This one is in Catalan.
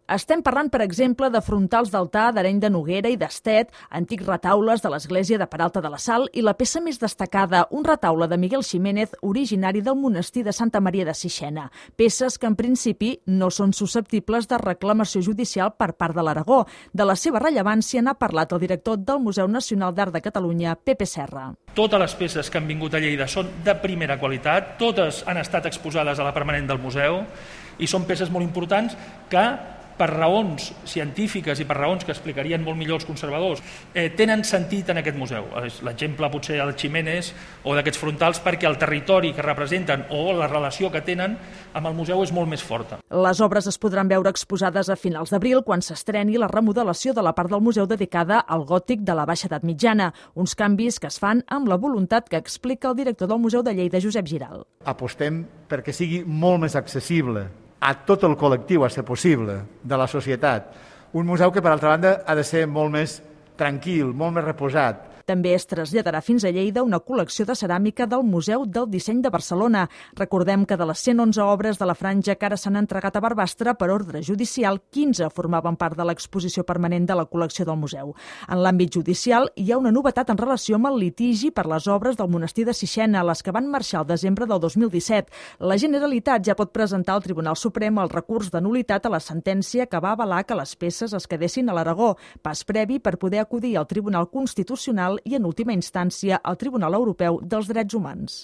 Estem parlant, per exemple, de frontals d'altar d'Areny de Noguera i d'Estet, antics retaules de l'església de Peralta de la Sal i la peça més destacada, un retaule de Miguel Ximénez, originari del monestir de Santa Maria de Sixena. Peces que, en principi, no són susceptibles de reclamació judicial per part de l'Aragó. De la seva rellevància n'ha parlat el director del Museu Nacional d'Art de Catalunya, Pepe Serra. Totes les peces que han vingut a Lleida són de primera qualitat, totes han estat exposades a la permanent del museu i són peces molt importants que, per raons científiques i per raons que explicarien molt millor els conservadors, tenen sentit en aquest museu. L'exemple potser del Ximénez o d'aquests frontals, perquè el territori que representen o la relació que tenen amb el museu és molt més forta. Les obres es podran veure exposades a finals d'abril, quan s'estreni la remodelació de la part del museu dedicada al gòtic de la Baixa Edat Mitjana, uns canvis que es fan amb la voluntat que explica el director del Museu de Lleida, Josep Giral. Apostem perquè sigui molt més accessible a tot el col·lectiu, a ser possible, de la societat. Un museu que, per altra banda, ha de ser molt més tranquil, molt més reposat. També es traslladarà fins a Lleida una col·lecció de ceràmica del Museu del Disseny de Barcelona. Recordem que de les 111 obres de la franja que ara s'han entregat a Barbastre per ordre judicial, 15 formaven part de l'exposició permanent de la col·lecció del museu. En l'àmbit judicial hi ha una novetat en relació amb el litigi per les obres del monestir de Sixena, les que van marxar al desembre del 2017. La Generalitat ja pot presentar al Tribunal Suprem el recurs de nul·litat a la sentència que va avalar que les peces es quedessin a l'Aragó, pas previ per poder acudir al Tribunal Constitucional i, en última instància, al Tribunal Europeu dels Drets Humans.